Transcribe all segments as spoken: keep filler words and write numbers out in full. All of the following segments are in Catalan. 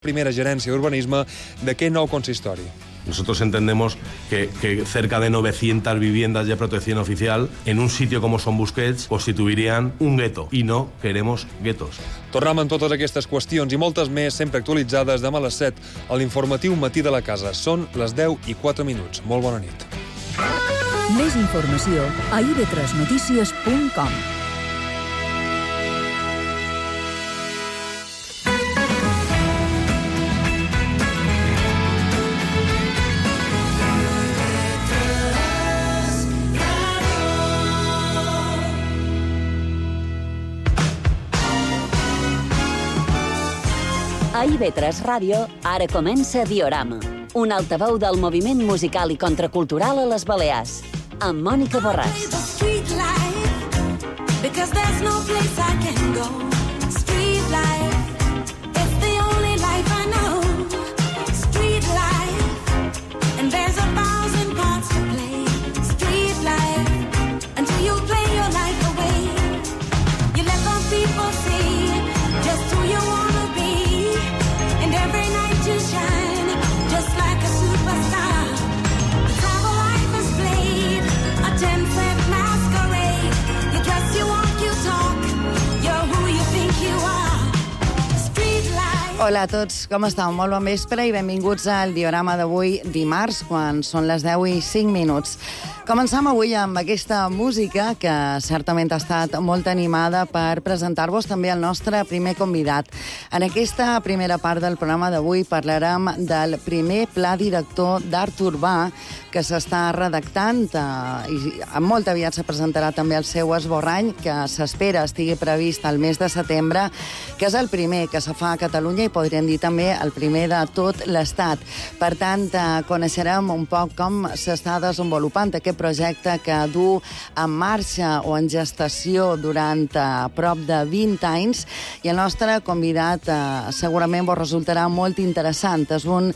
primera gerència d'urbanisme d'aquest nou consistori. Nosotros entendemos que, que cerca de novecientas viviendas de protección oficial en un sitio como Son Busquets constituirían un gueto y no queremos guetos. Tornem amb totes aquestes qüestions i moltes més sempre actualitzades demà a les set a l'informatiu Matí de la Casa. Són les deu i quatre minuts. Molt bona nit. Més informació a i ve tres notícies punt com. A i ve tres Ràdio, ara comença Diorama, un altaveu del moviment musical i contracultural a les Balears, amb Mònica Borràs. Hola a tots, com esteu? Molt bon vespre i benvinguts al diorama d'avui, dimarts, quan són les deu i cinc minuts. Comencem avui amb aquesta música que certament ha estat molt animada per presentar-vos també el nostre primer convidat. En aquesta primera part del programa d'avui parlarem del primer pla director d'art urbà que s'està redactant eh, i molt aviat se presentarà també el seu esborrany, que s'espera estigui previst el mes de setembre, que és el primer que se fa a Catalunya i podríem dir també el primer de tot l'Estat. Per tant, eh, coneixerem un poc com s'està desenvolupant aquest projecte que du en marxa o en gestació durant eh, prop de vint anys, i el nostre convidat eh, segurament vos resultarà molt interessant. És un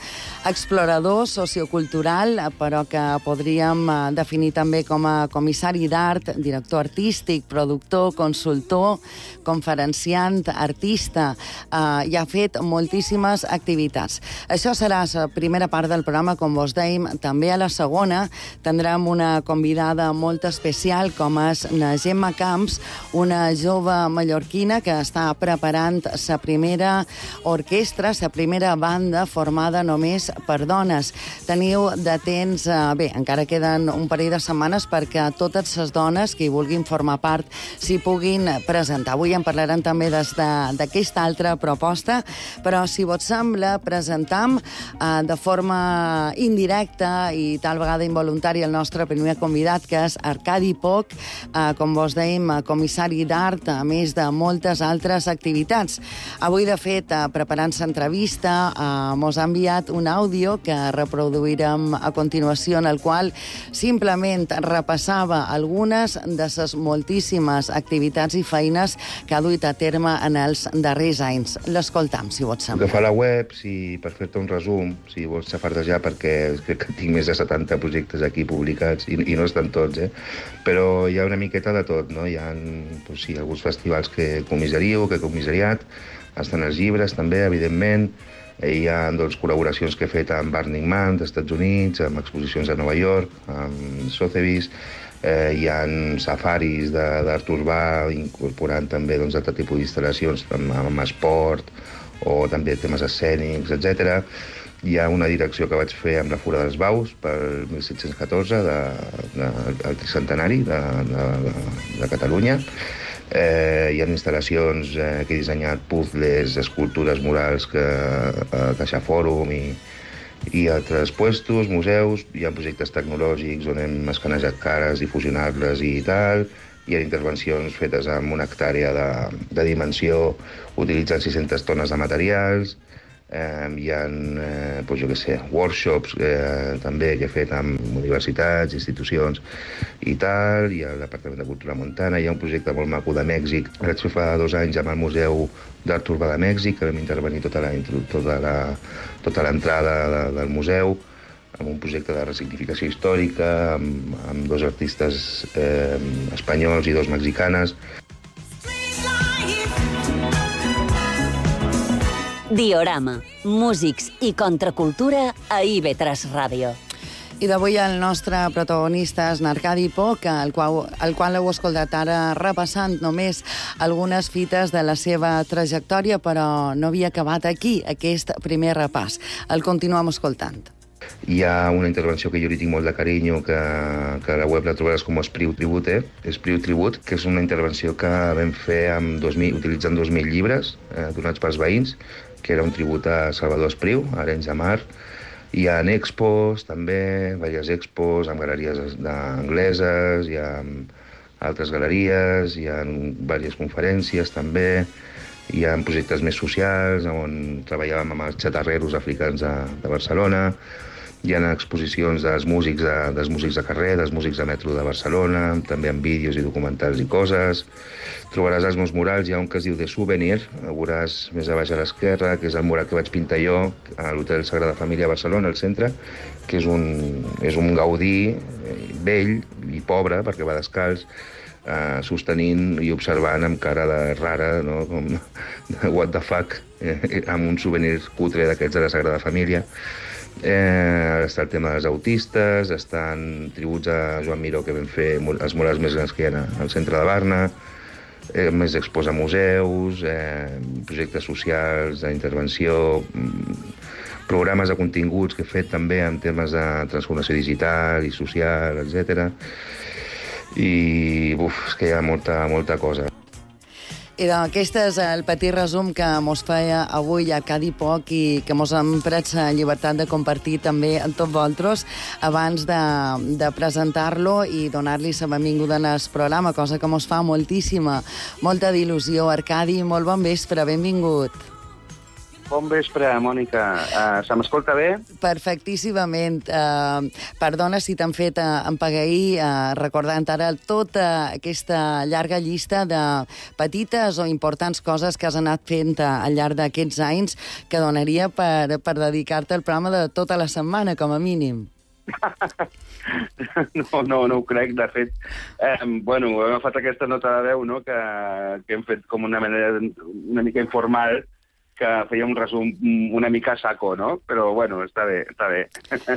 explorador sociocultural, però que podríem eh, definir també com a comissari d'art, director artístic, productor, consultor, conferenciant, artista, eh, i ha fet moltíssimes activitats. Això serà la primera part del programa, com vos dèiem. També a la segona tindrem una convidada molt especial, com és na Gemma Camps, una jove mallorquina que està preparant la primera orquestra, la primera banda formada només per dones. Teniu de temps, eh, bé, encara queden un parell de setmanes perquè totes les dones que hi vulguin formar part s'hi puguin presentar. Avui en parlarem també d'aquesta altra proposta, però si vos sembla, presentam eh, de forma indirecta i tal vegada involuntària el nostre primer convidat, que és Arcadi Poch, eh, com vos dèiem, comissari d'art, a més de moltes altres activitats. Avui, de fet, eh, preparant l'entrevista, eh, mos ha enviat un àudio que reproduirem a continuació, en el qual simplement repassava algunes de les moltíssimes activitats i feines que ha duit a terme en els darrers anys. L'escoltam, si vos sembla. Agafar la web, si, per fer-te un resum, si vols xafardejar, perquè crec que tinc més de setanta projectes aquí publicats, i, i no estan tots, eh? Però hi ha una miqueta de tot, no? Hi ha doncs, sí, alguns festivals que comissario, que he comissariat, estan els llibres també, evidentment. Hi ha doncs, col·laboracions que he fet amb Burning Man dels Estats Units, amb exposicions a Nova York, amb Sotheby's. Eh, hi ha safaris d'art urbà, incorporant també doncs, altre tipus d'instal·lacions amb, amb esport o també temes escènics, etcètera. Hi ha una direcció que vaig fer amb la Fura dels Baus per mil set-cents catorze, de, de, el tricentenari de, de, de, de Catalunya. Eh, hi ha instal·lacions eh, que he dissenyat, puzzles, escultures murals que a Caixa Fòrum i, i altres puestos, museus. Hi ha projectes tecnològics on hem escanejat cares i fusionar-les i tal. Hi ha intervencions fetes amb una hectàrea de, de dimensió utilitzant sis-centes tones de materials. Eh, hi ha, eh, doncs jo què sé, workshops eh, també que he fet amb universitats, institucions i tal. Hi ha el Departament de Cultura Montana. Hi ha un projecte molt maco de Mèxic que vaig fer fa dos anys amb el Museu d'Art Urbà de Mèxic, que vam intervenir tota la, tota la, tota l'entrada de, del museu, amb un projecte de resignificació històrica, amb, amb dos artistes eh, espanyols i dos mexicanes. Diorama, músics i contracultura a I V tres Ràdio. I d'avui el nostre protagonista és Arcadi Poch, el qual, el qual heu escoltat ara repassant només algunes fites de la seva trajectòria, però no havia acabat aquí, aquest primer repàs. El continuem escoltant. Hi ha una intervenció que jo li tinc molt de carinyo, que, que a la web la trobaràs com Espriu Tribute, Espriu Tribut, que és una intervenció que vam fer amb dos mil, utilitzant dos mil llibres eh, donats pels veïns, que era un tribut a Salvador Espriu, a Arenys de Mar. Hi ha expos, també, diverses expos, amb galeries angleses, hi ha altres galeries, hi ha diverses conferències, també. Hi ha projectes més socials, on treballàvem amb els xatarreros africans de, de Barcelona. Hi ha exposicions dels músics de, dels músics de carrer, dels músics de metro de Barcelona, també amb vídeos i documentals i coses. Trobaràs els meus murals, hi ha un que es diu The Souvenir, el veuràs més a baix a l'esquerra, que és el mural que vaig pintar jo a l'Hotel Sagrada Família a Barcelona, al centre, que és un, és un Gaudí vell i pobre, perquè va descalç, eh, sostenint i observant amb cara de rara, no? Com de what the fuck, eh, amb un souvenir cutre d'aquests de la Sagrada Família. Eh, està el tema dels autistes, estan tributs a Joan Miró, que vam fer els murals més grans que hi ha al centre de Barna, eh, més expos a museus, eh, projectes socials, d'intervenció, programes de continguts que he fet també en temes de transformació digital i social, etcètera. I uf, és que hi ha molta, molta cosa. I aquest és el petit resum que mos feia avui Arcadi Poch i que mos hem pres la llibertat de compartir també amb tots vosaltres abans de, de presentar-lo i donar-li la benvinguda en el programa, cosa que mos fa moltíssima, molta d'il·lusió. Arcadi, molt bon vespre, benvingut. Bon vespre, Mònica. Uh, se m'escolta bé? Perfectíssimament. Uh, perdona si t'han fet uh, empagueir, uh, recordant ara tota aquesta llarga llista de petites o importants coses que has anat fent uh, al llarg d'aquests anys que donaria per, per dedicar-te al programa de tota la setmana, com a mínim. No, no, no ho crec, de fet. Eh, bueno, he agafat aquesta nota de veu, no?, que, que hem fet com una manera una mica informal, que feia un resum una mica saco, no? Però, bueno, està bé, està bé.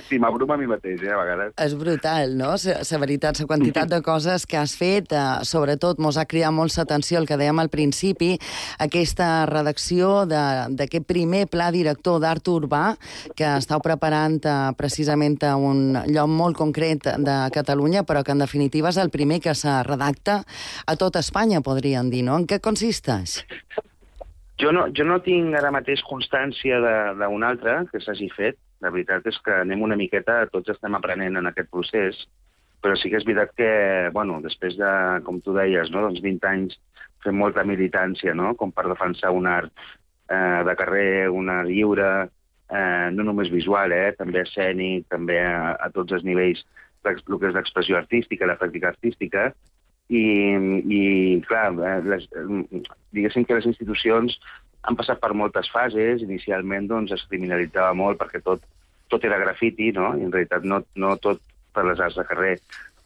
Sí, m'abruma a mi mateix, eh, a vegades. És brutal, no? La veritat, la quantitat de coses que has fet, eh, sobretot, mos ha cridat molt l'atenció, el que dèiem al principi, aquesta redacció d'aquest primer pla director d'art urbà que estàu preparant eh, precisament a un lloc molt concret de Catalunya, però que, en definitiva, és el primer que se redacta a tot Espanya, podríem dir, no? En què consisteix? Jo no, jo no tinc ara mateix constància d'un altre que s'hagi fet. La veritat és que anem una miqueta, tots estem aprenent en aquest procés, però sí que és veritat que, bueno, després de, com tu deies, no, doncs vint anys fent molta militància, no?, com per defensar un art eh, de carrer, un art lliure, eh, no només visual, eh, també escènic, també a, a tots els nivells del que és l'expressió artística, la pràctica artística. I, i clar, les, diguéssim que les institucions han passat per moltes fases. Inicialment doncs, es criminalitzava molt perquè tot, tot era grafiti, no? I en realitat no, no tot per les arts de carrer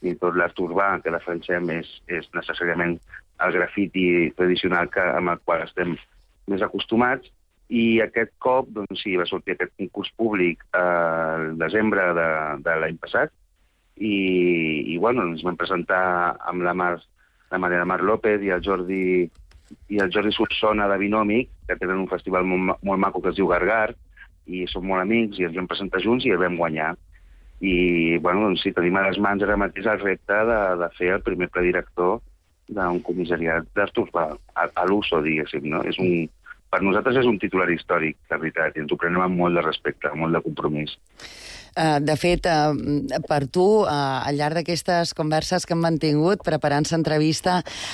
ni tot l'art urbà que defensem és, és necessàriament el grafiti tradicional que, amb el qual estem més acostumats. I aquest cop, doncs sí, va sortir aquest concurs públic al eh, desembre de, de l'any passat. I, i bueno, ens vam presentar amb la Mar, la Maria Mar López i el Jordi i el Jordi Solsona de Binòmic, que tenen un festival molt, molt maco que es diu Gargar, i som molt amics i ens vam presentar junts i el vam guanyar. I bueno, doncs sí, tenim a les mans ara mateix el repte de, de fer el primer pla director d'un comissariat d'art urbà, a, a l'uso, diguéssim, no? És un, per nosaltres és un titular històric, la veritat, i ens ho prenem amb molt de respecte, amb molt de compromís. De fet, per tu, al llarg d'aquestes converses que hem mantingut, preparant l'entrevista,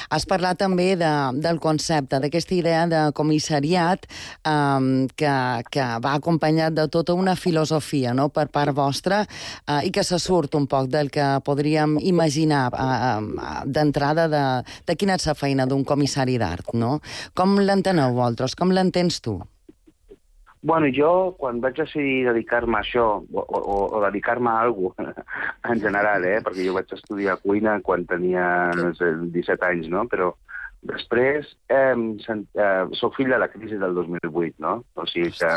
has parlat també de, del concepte, d'aquesta idea de comissariat que, que va acompanyat de tota una filosofia, no?, per part vostra, i que se surt un poc del que podríem imaginar d'entrada de, de quina és la feina d'un comissari d'art, no? Com l'enteneu vosaltres? Com l'entens tu? Bueno, jo, quan vaig decidir dedicar-me a això, o, o, o dedicar-me a alguna cosa, en general, eh, perquè jo vaig estudiar cuina quan tenia, no sé, disset anys, no?, però Després, eh, eh, soc fill de la crisi del dos mil vuit, no? O sigui que,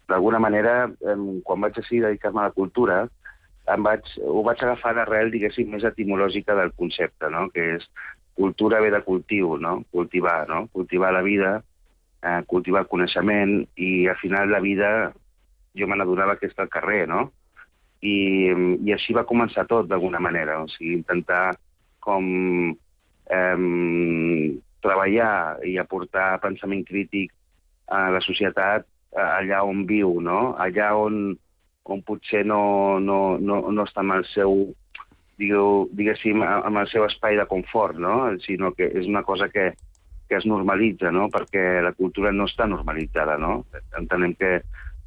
d'alguna manera, eh, quan vaig decidir dedicar-me a la cultura, em vaig, ho vaig agafar d'arrel, diguéssim, més etimològica del concepte, no? Que és cultura ve de cultiu, no? Cultivar, no? Cultivar la vida, eh, cultivar el coneixement, i al final la vida jo me n'adonava que està al carrer, no? I, i així va començar tot, d'alguna manera. O sigui, intentar com eh, treballar i aportar pensament crític a la societat allà on viu, no? Allà on, on potser no, no, no, no està amb el seu, digueu, diguéssim, amb el seu espai de confort, no? Sinó que és una cosa que, que es normalitza, no? Perquè la cultura no està normalitzada, no? Entenem que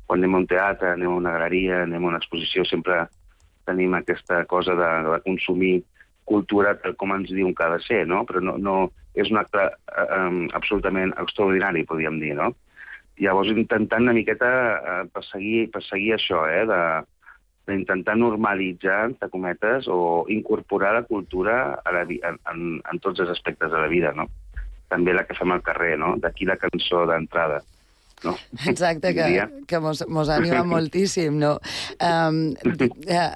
quan anem a un teatre, anem a una galeria, anem a una exposició, sempre tenim aquesta cosa de, de consumir cultura tal com ens diuen que ha de ser, no? Però no, no és un acte eh, absolutament extraordinari, podríem dir, no? Llavors, intentant una miqueta eh, perseguir, perseguir això, eh, de, d'intentar normalitzar, entre cometes, o incorporar la cultura a la, en, en, en tots els aspectes de la vida, no? També la que fem al carrer, no? D'aquí la cançó d'entrada. No? Exacte, que, que mos, mos anima moltíssim, no? Um,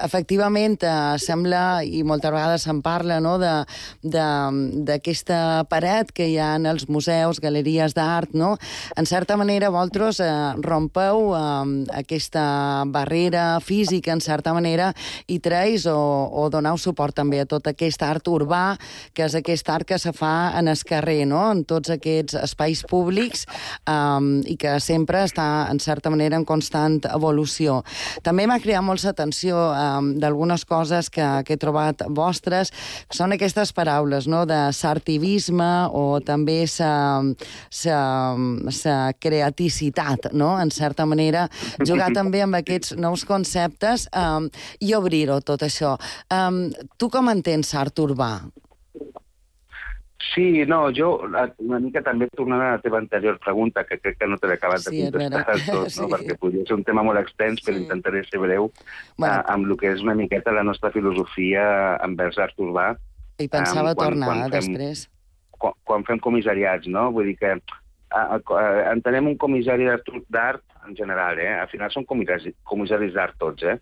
efectivament, uh, sembla, i moltes vegades se'n parla, no?, d'aquesta paret que hi ha en els museus, galeries d'art, no? En certa manera, vosaltres uh, rompeu um, aquesta barrera física, en certa manera, i treus o, o doneu suport també a tot aquest art urbà, que és aquest art que se fa en el carrer, no?, en tots aquests espais públics, um, i que sempre està, en certa manera, en constant evolució. També m'ha cridat molt l'atenció um, d'algunes coses que, que he trobat vostres, que són aquestes paraules, no?, de s'artivisme o també la creaticitat, no?, en certa manera, jugar també amb aquests nous conceptes um, i obrir-ho, tot això. Um, tu com entens l'art urbà? Sí, no, jo una mica també tornant a la teva anterior pregunta, que crec que no te l'he acabat de contestar del tot, no? Sí. Perquè podria ser un tema molt extens, però sí. Intentaré ser breu bueno. eh, amb el que és una miqueta la nostra filosofia envers l'art urbà. I pensava eh, quan, tornar quan fem, després. Quan, quan fem comissariats, no? Vull dir que eh, eh, entenem un comissari d'art en general, eh? Al final són comissaris, comissaris d'art tots, eh?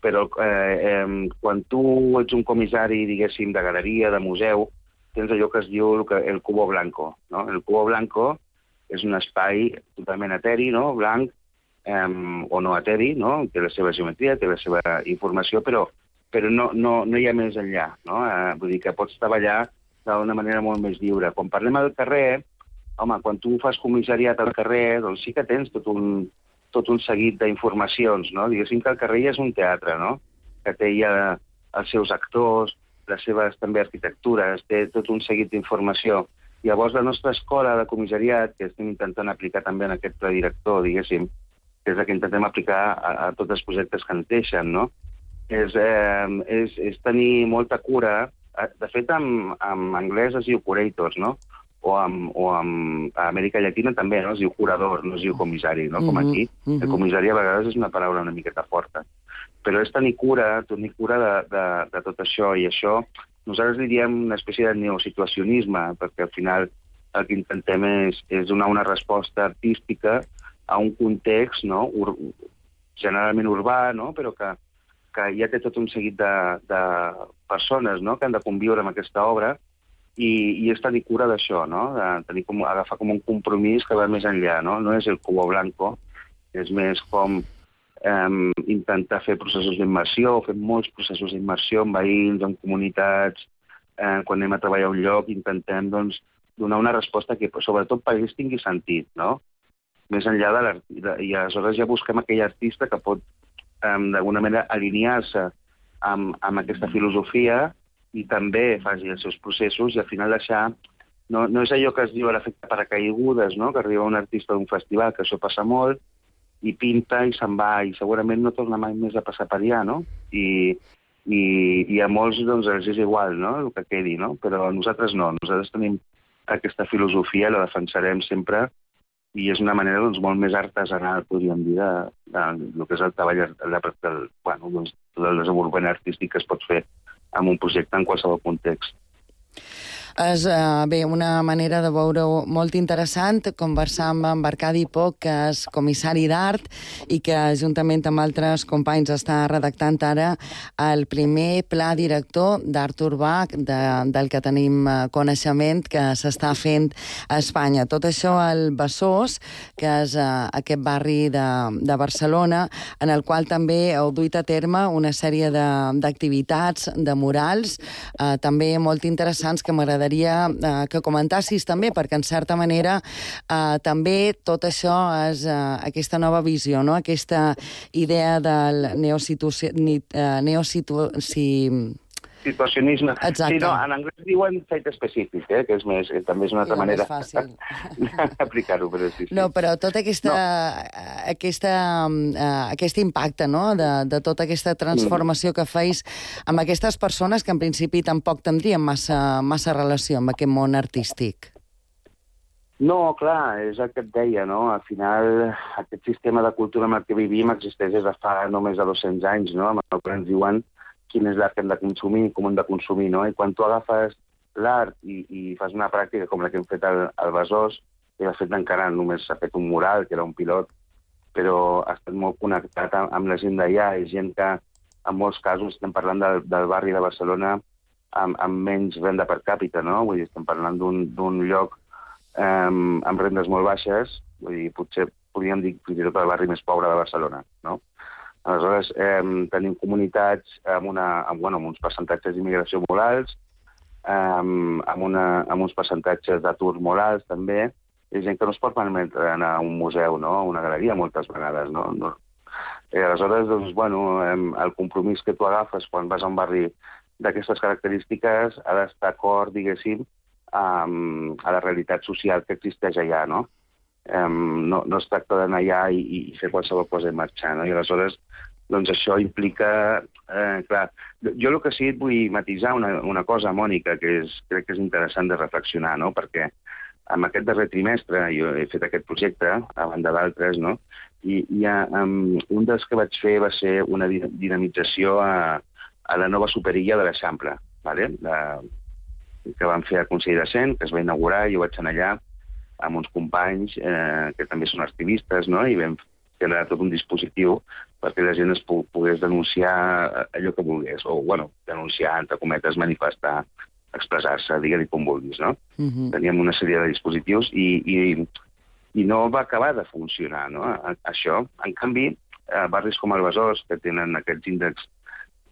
Però eh, eh, quan tu ets un comissari, diguéssim, de galeria, de museu, tens allò que es diu el, el cubo blanco, no? El cubo blanco és un espai totalment eteri, no?, blanc, eh, o no eteri, no?, té la seva geometria, té la seva informació, però, però no, no, no hi ha més enllà, no? Eh, vull dir que pots treballar d'una manera molt més lliure. Quan parlem al carrer, home, quan tu fas comissariat al carrer, doncs sí que tens tot un, tot un seguit d'informacions, no? Diguéssim que el carrer ja és un teatre, no?, que té ja els seus actors, les seves també arquitectures, té tot un seguit d'informació. Llavors, la nostra escola de comissariat, que estem intentant aplicar també en aquest pla director, diguéssim, que és el que intentem aplicar a, a tots els projectes que ens deixen, no?, és, eh, és, és tenir molta cura. De fet, en, en anglès es diu curators, no?, o, amb, o amb, a Amèrica Llatina també, no?, es diu curador, no es diu comissari, no?, com aquí. Mm-hmm. El comissari a vegades és una paraula una miqueta forta. Però és tenir cura, tenir cura de, de, de tot això, i això nosaltres li diem una espècie de neosituacionisme, perquè al final el que intentem és, és donar una resposta artística a un context, no?, ur, generalment urbà, no?, però que, que ja té tot un seguit de, de persones, no?, que han de conviure amb aquesta obra, i, i és tenir cura d'això, no?, de tenir com, agafar com un compromís que va més enllà, no?, no és el cubo blanco, és més com Um, intentar fer processos d'immersió, fer molts processos d'immersió amb veïns, amb comunitats, eh, quan anem a treballar a un lloc, intentem doncs, donar una resposta que sobretot per ells tingui sentit, no? Més enllà de l'artista, i aleshores ja busquem aquell artista que pot um, d'alguna manera alinear-se amb, amb aquesta filosofia i també faci els seus processos i al final deixar... No, no és allò que es diu l'efecte paracaigudes, no?, que arriba un artista d'un festival, que això passa molt, i pinta i se'n va, i segurament no torna mai més a passar per allà, no? I, i, i a molts doncs, els és igual, no?, el que quedi, no? Però nosaltres no, nosaltres tenim aquesta filosofia, la defensarem sempre, i és una manera doncs, molt més artesanal, podríem dir, de, de, de, del que és el treball, de, de, bueno, doncs, del desenvolupament artístic que es pot fer en un projecte en qualsevol context. És, uh, bé, una manera de veure-ho molt interessant, conversar amb en Arcadi Poch, que és comissari d'art i que, juntament amb altres companys, està redactant ara el primer pla director d'art urbà de, del que tenim coneixement que s'està fent a Espanya. Tot això al Besòs, que és uh, aquest barri de, de Barcelona, en el qual també heu duit a terme una sèrie d'activitats, de, de murals, uh, també molt interessants, que m'agradaria eh, que comentassis també, perquè en certa manera eh, també tot això és eh, aquesta nova visió, no? Aquesta idea del neositu... Eh, neositu... Si... Situacionisme. Exacte. Sí, no, en anglès diuen fet específic, eh, que és més, eh, també és una altra sí, manera d'aplicar-ho, però sí, sí. No, però tot aquesta, no. aquesta, uh, aquest impacte, no?, de, de tota aquesta transformació que feis amb aquestes persones que en principi tampoc tindrien massa, massa relació amb aquest món artístic. No, clar, és el que et deia, no? Al final, aquest sistema de cultura amb el que vivim existeix des de fa només de dos-cents anys, no? Amb el que ens diuen quin és l'art que hem de consumir, com hem de consumir, no? I quan tu agafes l'art i, i fas una pràctica com la que hem fet al, al Besòs, que de fet encara només s'ha fet un mural, que era un pilot, però ha estat molt connectat amb, amb la gent d'allà, i gent que en molts casos estem parlant del, del barri de Barcelona amb, amb menys renda per càpita, no? Vull dir, estem parlant d'un lloc um, amb rendes molt baixes, vull dir, potser podríem dir fins i tot el barri més pobre de Barcelona, no? Aleshores, eh, tenim comunitats amb, una, amb, bueno, amb uns percentatges d'immigració molt alts, eh, amb, una, amb uns percentatges d'atur molt alts, també. Hi ha gent que no es pot permetre anar a un museu, no?, a una galeria, moltes vegades, no? no. Eh, aleshores, doncs, bueno, eh, el compromís que tu agafes quan vas a un barri d'aquestes característiques ha d'estar acord, diguéssim, um, a la realitat social que existeix allà, no? Um, no, no es tracta d'anar allà i, i fer qualsevol cosa i marxar, no? I aleshores, doncs això implica... Eh, clar, jo el que sí et vull matisar una, una cosa, Mònica, que és, crec que és interessant de reflexionar, no? Perquè en aquest darrer trimestre jo he fet aquest projecte, a banda d'altres, no? I, i um, un dels que vaig fer va ser una dinamització a, a la nova superilla de l'Eixample, ¿vale? La, que van fer a Consell de Cent, que es va inaugurar, i jo vaig anar allà amb uns companys eh, que també són activistes, no? I vam fer tot un dispositiu perquè la gent es pogués denunciar allò que volgués, o, bueno, denunciar, entre cometes, manifestar, expressar-se, digue-li com vulguis, no? Uh-huh. Teníem una sèrie de dispositius i, i, i no va acabar de funcionar, no?, això. En canvi, eh, barris com el Besòs, que tenen aquests índexs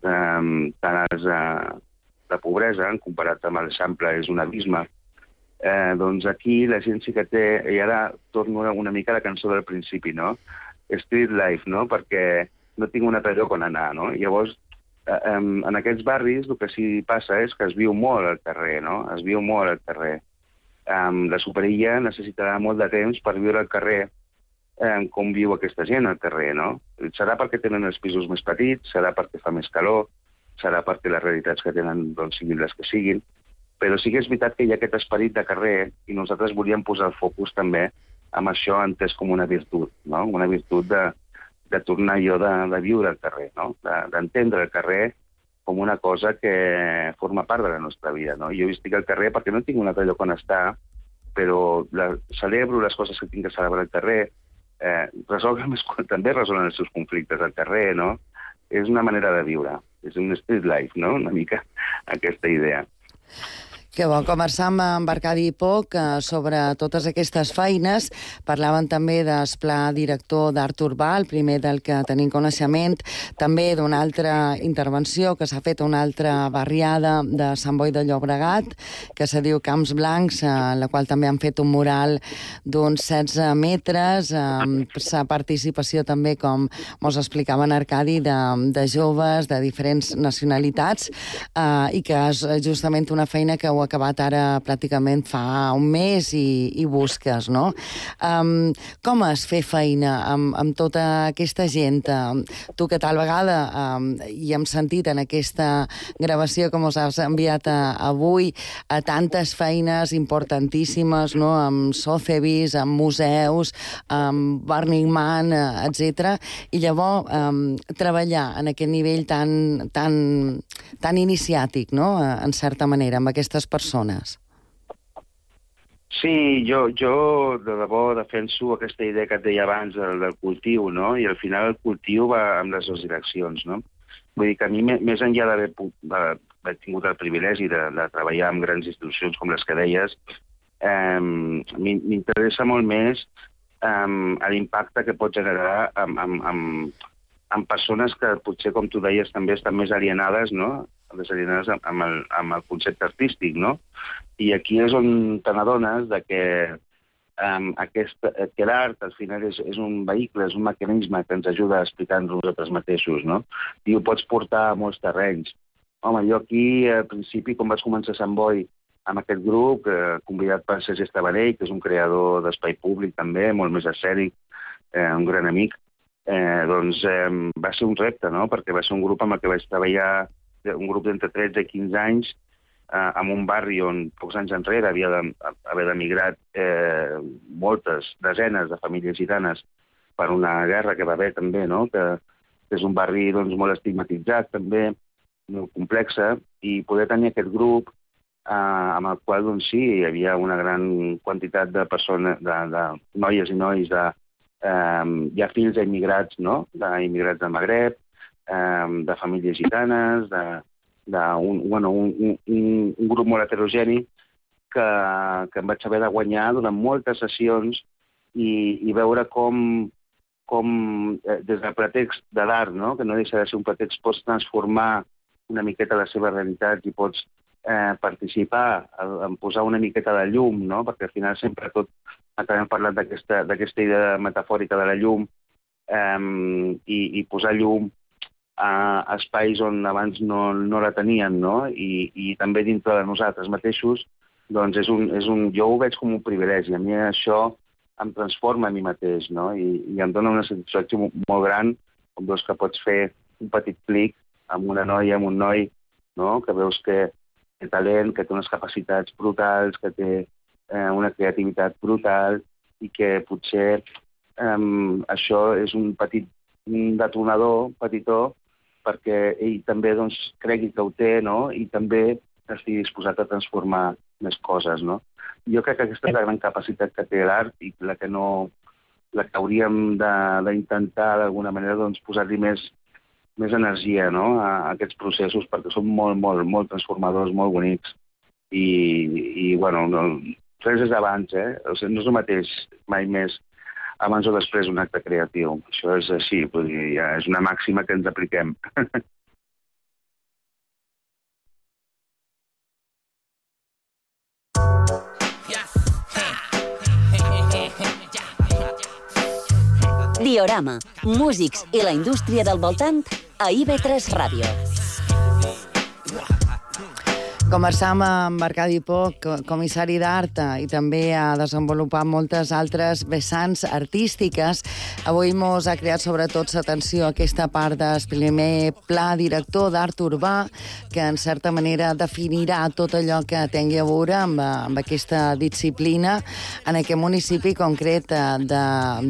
eh, tan alts eh, de pobresa, comparat amb l'Eixample és un abisme, Eh, doncs aquí la gent sí que té, i ara torno una mica a la cançó del principi, no? Street life, no? Perquè no tinc un altre lloc on anar, no? Llavors, eh, en aquests barris el que sí passa és que es viu molt al carrer, no? Es viu molt al carrer. Eh, la superilla necessitarà molt de temps per viure al carrer eh, com viu aquesta gent al carrer, no? Serà perquè tenen els pisos més petits, serà perquè fa més calor, serà perquè les realitats que tenen doncs, siguin les que siguin, però sí que és veritat que hi ha aquest esperit de carrer i nosaltres volíem posar el focus també amb això entès com una virtut, no? Una virtut de, de tornar allò de, de viure al carrer, no? D'entendre el carrer com una cosa que forma part de la nostra vida, no? Jo estic al carrer perquè no tinc un altre lloc on estar, però la, celebro les coses que tinc que celebrar al carrer, eh, resolguen, també resolen els seus conflictes al carrer, no? És una manera de viure, és un street life, no? Una mica aquesta idea. Que bo conversar amb Arcadi Poch sobre totes aquestes feines. Parlaven també del pla director d'art urbà, el primer del que tenim coneixement, també d'una altra intervenció que s'ha fet a una altra barriada de Sant Boi de Llobregat, que se diu Camps Blancs, en la qual també han fet un mural d'uns setze metres, amb sa participació també, com mos explicaven Arcadi, de, de joves de diferents nacionalitats, eh, i que és justament una feina que ho acabat ara pràcticament fa un mes i, i busques, no? Um, com és fer feina amb, amb tota aquesta gent? Um, tu que tal vegada um, hi hem sentit en aquesta gravació que mos has enviat a, avui a tantes feines importantíssimes, no? Amb Sotheby's, amb museus, amb Burning Man, etcètera. I llavors um, treballar en aquest nivell tan, tan, tan iniciàtic, no? En certa manera, amb aquestes persones. Sí, jo, jo de debò defenso aquesta idea que et deia abans del, del cultiu, no? I al final el cultiu va amb les dues direccions, no? Vull dir que a mi, més enllà d'haver haver tingut el privilegi de, de treballar en grans institucions com les que deies, eh, m'interessa molt més eh, l'impacte que pot generar amb, amb, amb, amb persones que potser, com tu deies, també estan més alienades, no? Desalienades amb el, amb el concepte artístic, no? I aquí és on te n'adones de que, um, aquest, que l'art al final és, és un vehicle, és un mecanisme que ens ajuda a explicar-nos nosaltres mateixos, no? I ho pots portar a molts terrenys. Home, jo aquí, al principi, quan vaig començar a Sant Boi, amb aquest grup, eh, convidat per Sergi Estabanell, que és un creador d'espai públic també, molt més escènic, eh, un gran amic, eh, doncs eh, va ser un repte, no? Perquè va ser un grup amb el que vaig treballar, un grup d'entre tretze i quinze anys, eh, en un barri on pocs anys enrere havia d'haver d'emigrat eh, moltes, desenes de famílies gitanes per una guerra que va haver també, no? Que, que és un barri doncs, molt estigmatitzat també, molt complexa, i poder tenir aquest grup eh, amb el qual doncs, sí, hi havia una gran quantitat de persones, de, de noies i nois, de, eh, hi ha fills d'immigrats, no? D'immigrats del Magreb, de famílies gitanes, d'un bueno, un, un, un grup molt heterogeni que, que em vaig haver de guanyar durant moltes sessions i, i veure com, com eh, des del pretext de l'art, no? Que no deixa de ser un pretext, pots transformar una miqueta la seva realitat i pots eh, participar en posar una miqueta de llum, no? Perquè al final sempre tot acabem parlant d'aquesta idea metafòrica de la llum eh, i, i posar llum a espais on abans no, no la tenien, no? I, i també dintre de nosaltres mateixos, doncs és un, és un, jo ho veig com un privilegi. A mi això em transforma a mi mateix, no? I, i em dona una satisfacció molt gran, com veus que pots fer un petit clic amb una noia, amb un noi, no? Que veus que té talent, que té unes capacitats brutals, que té eh, una creativitat brutal i que potser eh, això és un petit un detonador petitó perquè ell també doncs, cregui que ho té, no? I també estigui disposat a transformar més coses, no? Jo crec que aquesta és la gran capacitat que té l'art i la que no, la que hauríem d'intentar d'alguna manera doncs, posar-li més, més energia, no? a, a aquests processos perquè són molt, molt, molt transformadors, molt bonics i, i bueno, no, res és abans, eh? O sigui, no és el mateix mai més abans o després un acte creatiu. Això és així, vull dir, ja és una màxima que ens apliquem. Diorama, músics i la indústria del voltant a I V tres Ràdio. Conversam amb Arcadi Poch, comissari d'art, i també ha desenvolupat moltes altres vessants artístiques. Avui mos ha creat sobretot l'atenció a aquesta part del primer pla director d'art urbà, que en certa manera definirà tot allò que tingui a veure amb, amb aquesta disciplina en aquest municipi concret de,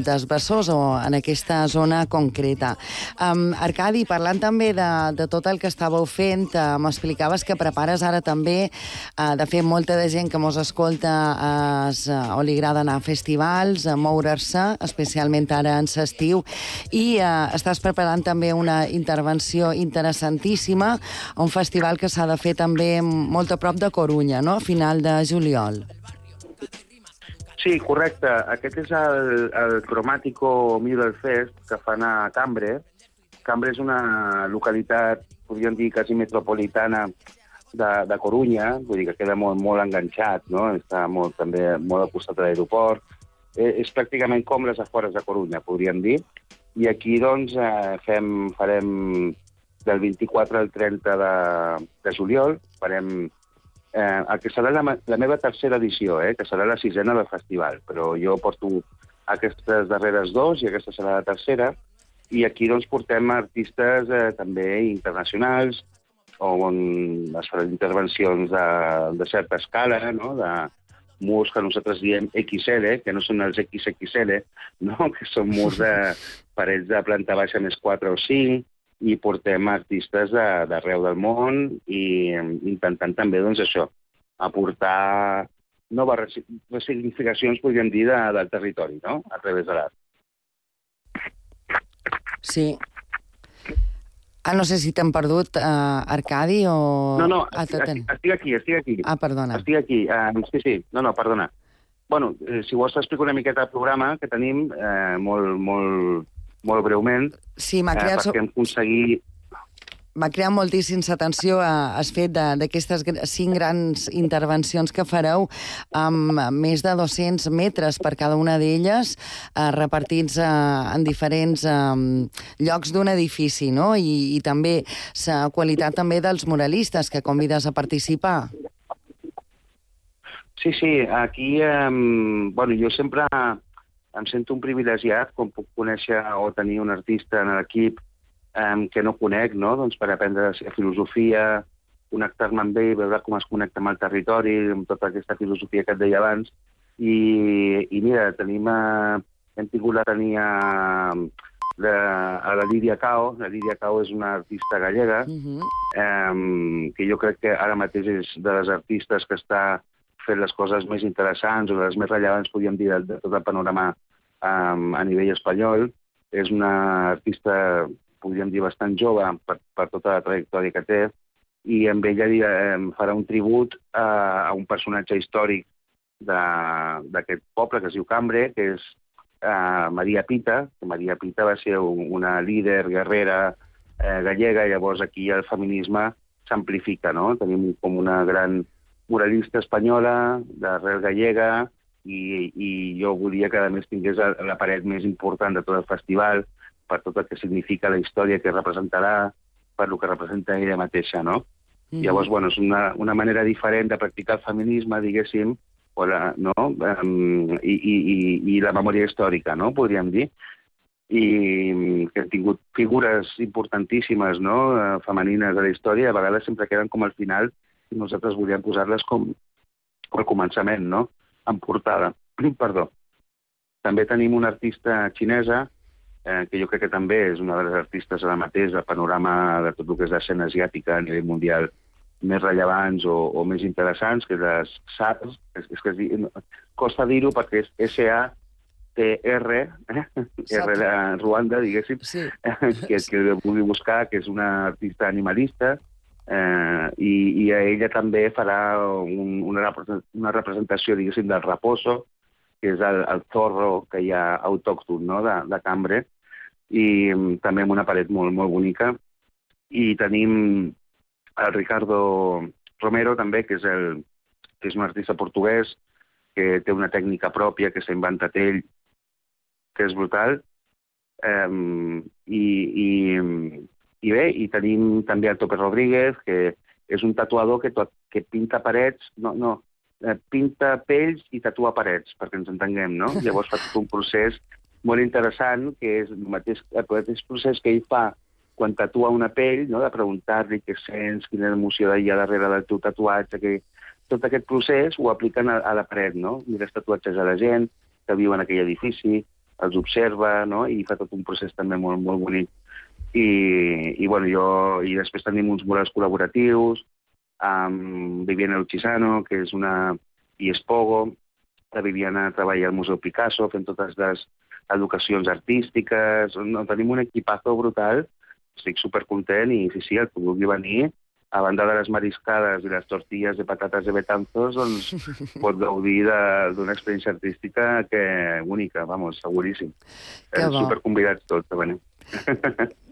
dels Besòs o en aquesta zona concreta. Um, Arcadi, parlant també de, de tot el que estàveu fent, uh, m'explicaves que prepares ara també, uh, de fet, molta de gent que mos escolta uh, o li agrada anar a festivals, a moure's-se, especialment ara en l'estiu, i uh, estàs preparant també una intervenció interessantíssima, un festival que s'ha de fer també molt a prop de Corunya, no?, a final de juliol. Sí, correcte. Aquest és el, el Cromático Middle Fest que fan a Cambre. Cambre és una localitat, podríem dir, quasi metropolitana de, de Corunya, vull dir que queda molt, molt enganxat, no? Està molt, també molt al costat de l'aeroport. Eh, és pràcticament com les afores de Corunya, podríem dir. I aquí, doncs, eh, fem, farem del vint-i-quatre al trenta de, de juliol, farem eh, el que serà la, la meva tercera edició, eh, que serà la sisena del festival, però jo porto aquestes darreres dos i aquesta serà la tercera, i aquí doncs portem artistes eh, també internacionals, on es faran intervencions de, de certa escala, no?, de murs que nosaltres diem equis ele, que no són els equis equis ele, no?, que són murs de parets de planta baixa més quatre o cinc, i portem artistes d'arreu del món i intentant també, doncs, això, aportar noves resignificacions, podríem dir, de, del territori, no?, a través de l'art. Sí. Ah, no sé si t'han perdut, uh, Arcadi, o... No, no, ah, estic, estic aquí, estic aquí. Ah, perdona. Estic aquí, uh, sí, sí, no, no, perdona. Bueno, eh, si vols t'explico una miqueta el programa que tenim, eh, molt, molt, molt breument, sí, m'ha creat... eh, perquè hem aconseguit... M'ha creat moltíssims atenció a, has fet d'aquestes cinc grans intervencions que fareu amb més de dos-cents metres per cada una d'elles, eh, repartits eh, en diferents eh, llocs d'un edifici, no? I, i també la qualitat també dels muralistes que convides a participar. Sí, sí, aquí, eh, bueno, jo sempre em sento un privilegiat quan puc conèixer o tenir un artista en l'equip Um, que no conec, no?, doncs per aprendre la filosofia, connectar-me amb ell, veure com es connecta amb el territori, amb tota aquesta filosofia que et deia abans. I, i mira, tenim, uh, hem tingut la tenir a, a la Lídia Cao. La Lídia Cao és una artista gallega, uh-huh. um, que jo crec que ara mateix és de les artistes que està fent les coses més interessants o de les més rellevants, podríem dir, de, de tot el panorama um, a nivell espanyol. És una artista, podríem dir, bastant jove per, per tota la trajectòria que té, i amb ella eh, farà un tribut a, a un personatge històric d'aquest poble que es diu Cambre, que és eh, Maria Pita, que Maria Pita va ser un, una líder, guerrera eh, gallega, i llavors aquí el feminisme s'amplifica, no? Tenim com una gran muralista espanyola, d'arrel gallega, i, i jo volia que a més tingués la paret més important de tot el festival, per tot el que significa la història que representarà, per el que representa ella mateixa, no? Mm. Llavors, bueno, és una, una manera diferent de practicar el feminisme, diguéssim, o la, no? Um, i, i, i la memòria històrica, no?, podríem dir. I que han tingut figures importantíssimes, no?, femenines de la història, a vegades sempre queden com al final, i nosaltres volíem posar-les com al començament, no?, en portada. Perdó. També tenim una artista xinesa, Eh, que jo crec que també és una de les artistes ara mateix del panorama de tot el que és l'escena asiàtica a nivell mundial més rellevants o, o més interessants, que és les S A R, és, és que es diu, costa dir-ho perquè és S A T R, eh? R de Ruanda, diguéssim, sí. que, que vulgui buscar, que és una artista animalista, eh, i, i a ella també farà un, una, una representació, diguéssim, del raposo, que és el, el zorro que hi ha autòcton, no?, de, de Cambre, i um, també amb una paret molt, molt bonica. I tenim el Ricardo Romero, també, que és, el, que és un artista portuguès, que té una tècnica pròpia que s'ha inventat ell, que és brutal. Um, i, i, I bé, i tenim també el Tope Rodríguez, que és un tatuador que, to que pinta parets, no, no, pinta pells i tatua parets, perquè ens entenguem, no? Llavors fa tot un procés molt interessant, que és el mateix, el mateix procés que ell fa quan tatua una pell, no?, de preguntar-li què sents, quina emoció hi ha darrere del teu tatuatge, que tot aquest procés ho apliquen a, a la paret, no? Mires tatuatges a la gent que viu en aquell edifici, els observa, no?, i fa tot un procés també molt, molt bonic. I, i, bueno, jo, i després tenim uns murals col·laboratius, amb Viviana Luchisano, que és una... i Espogo. La Viviana treballa al Museu Picasso, fent totes les educacions artístiques. No, tenim un equipazo brutal, estic supercontent, i sí, sí, el que vulgui venir, a banda de les mariscades i les tortilles de patates de Betanzos, doncs pot gaudir d'una experiència artística que única, vamos, seguríssim. Superconvidats tots a venir.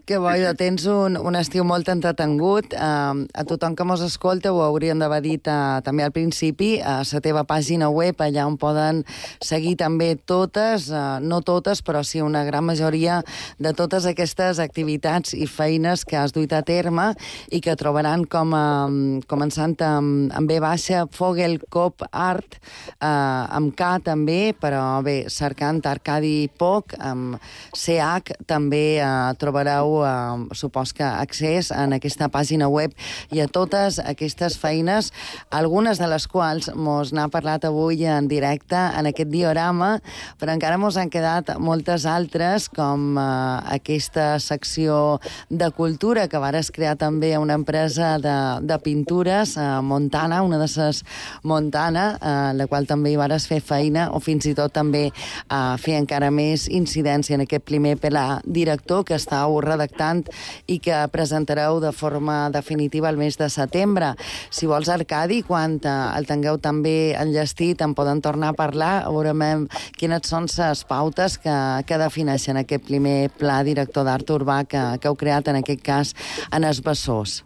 Que bo, ja tens un, un estiu molt entretengut. Uh, a tothom que mos escolta ho hauríem d'haver dit uh, també al principi, a la teva pàgina web, allà on poden seguir també totes, uh, no totes, però sí una gran majoria de totes aquestes activitats i feines que has duit a terme i que trobaran com a, començant amb, amb B baixa, Fogelkop Art, uh, amb K també, però bé, cercant Arcadi Poch, amb C H també uh, trobareu tindreu, eh, supos que, accés en aquesta pàgina web i a totes aquestes feines, algunes de les quals mos n'ha parlat avui en directe en aquest diorama, però encara mos han quedat moltes altres, com eh, aquesta secció de cultura que vares crear també una empresa de, de pintures, eh, Montana, una de ses Montana, eh, la qual també hi vares fer feina, o fins i tot també eh, fer encara més incidència en aquest primer pla director que estàu redactant i que presentareu de forma definitiva el mes de setembre. Si vols, Arcadi, quan el tingueu també enllestit, en poden tornar a parlar, veurem quines són les pautes que, que defineixen aquest primer pla director d'art urbà que, que heu creat, en aquest cas, en els Bessós.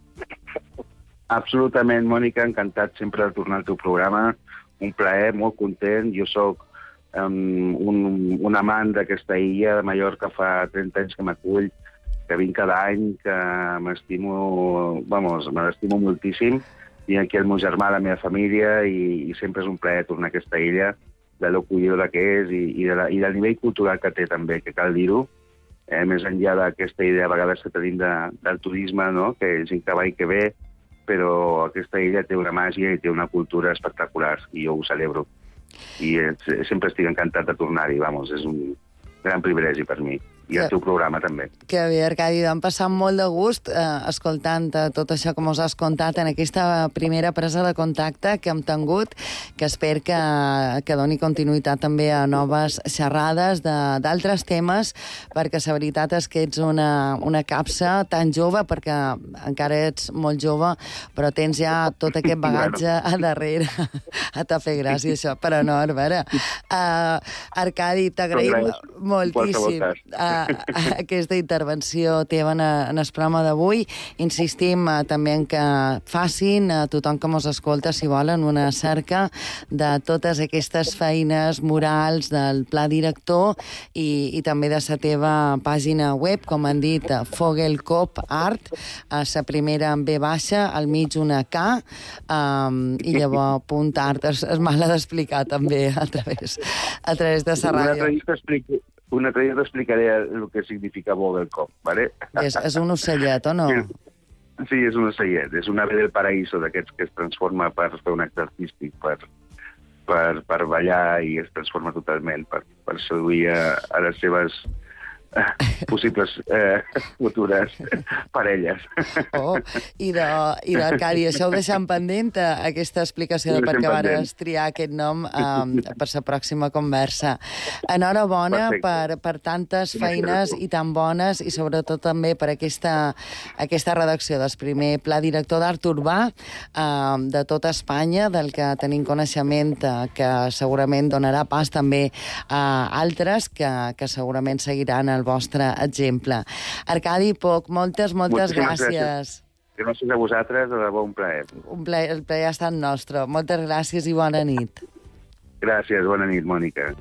Absolutament, Mònica, encantat sempre de tornar al teu programa. Un plaer, molt content. Jo sóc um, un, un amant d'aquesta illa de Mallorca, fa trenta anys que m'acull, que vinc cada any, que m'estimo, vamos, me l'estimo moltíssim. Vinc aquí el meu germà, la meva família, i, i sempre és un plaer tornar a aquesta illa, de l'acollidora que és i, i, de la, i del nivell cultural que té també, que cal dir-ho, eh, més enllà d'aquesta idea a vegades que tenim de, del turisme, no? Que és gent que va i que ve, però aquesta illa té una màgia i té una cultura espectacular, i jo ho celebro. I és, sempre estic encantat de tornar-hi, vamos, és un gran privilegi per mi. I el teu programa també. Que bé, Arcadi, vam passar molt de gust eh, escoltant eh, tot això que mos has contat en aquesta primera presa de contacte que hem tingut, que espero que, que doni continuïtat també a noves xerrades d'altres temes, perquè la veritat és que ets una, una capsa tan jove, perquè encara ets molt jove, però tens ja tot aquest bagatge a darrere. A te fer gràcia, això, però no, a veure. Uh, Arcadi, t'agraïm moltíssim uh, aquesta intervenció teva en, en el programa d'avui. Insistim uh, també en que facin a uh, tothom que mos escolta, si volen, una cerca de totes aquestes feines murals del pla director i, i també de la teva pàgina web, com han dit, Fogelkop Art, a la primera en B baixa, al mig una K, um, i llavors punt art, és, és mal d'explicar també a través, a través de la ràdio. Una altra dia t'explicaré el que significa Vogelkop, ¿vale? És, és un ocellet, o no? Sí, és un ocellet. És un ave del paraíso d'aquests que es transforma per fer un acte artístic, per, per, per ballar, i es transforma totalment per, per seduir a, a les seves possibles eh, futures parelles. Oh, i d'Arcadi, això ho deixem pendent, aquesta explicació de per què vares triar aquest nom um, per la pròxima conversa. Enhorabona per, per tantes feines i tan bones, i sobretot també per aquesta, aquesta redacció del primer pla director d'art urbà um, de tota Espanya, del que tenim coneixement, uh, que segurament donarà pas també a altres que, que segurament seguiran el vostre exemple. Arcadi Poch, moltes, moltes gràcies. Gràcies a vosaltres, de debò un plaer. Un plaer, el plaer ha estat nostre. Moltes gràcies i bona nit. Gràcies, bona nit, Mònica.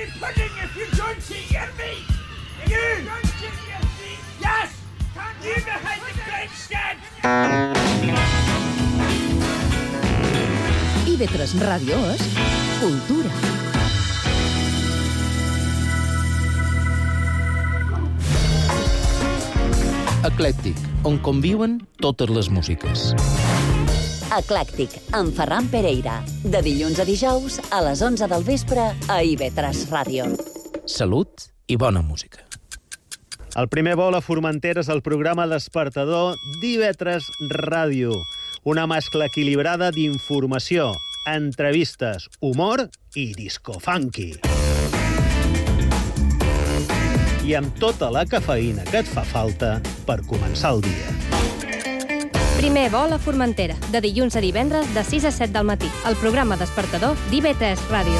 me pudding if you don't hear me! You! Don't you hear me? Yes! You behind the great shed! I V tres Ràdio és cultura. Eclèctic, on conviuen totes les músiques. Eclèctic, amb Ferran Pereira. De dilluns a dijous, a les onze del vespre, a I V tres Ràdio. Salut i bona música. El primer vol a Formentera és el programa despertador d'I V tres Ràdio. Una mescla equilibrada d'informació, entrevistes, humor i disco funky. I amb tota la cafeïna que et fa falta per començar el dia. Primer vol a Formentera, de dilluns a divendres de sis a set del matí. El programa despertador d'I V tres Ràdio.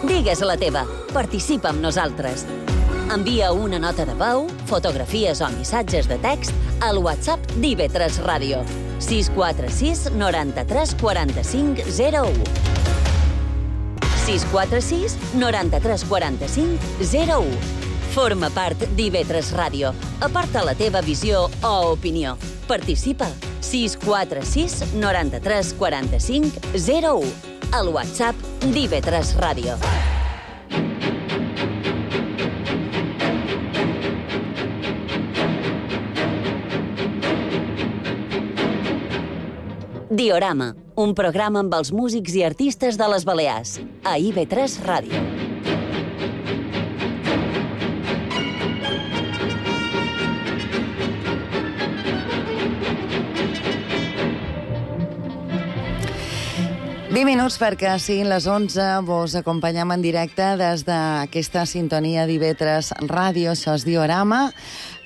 Digues la teva. Participa amb nosaltres. Envia una nota de veu, fotografies o missatges de text al WhatsApp d'I V tres Ràdio. sis quatre sis noranta-tres quaranta-cinc zero u. sis quatre sis noranta-tres quaranta-cinc zero u. Forma part d'I V tres Ràdio. Aparta la teva visió o opinió. Participa. sis quatre sis noranta-tres quaranta-cinc zero u. Al WhatsApp d'I V tres Ràdio. Diorama, un programa amb els músics i artistes de les Balears, a I V tres Ràdio. vint minuts perquè siguin les onze, vos acompanyem en directe des d'aquesta sintonia d'I V tres Ràdio. Això és Diorama,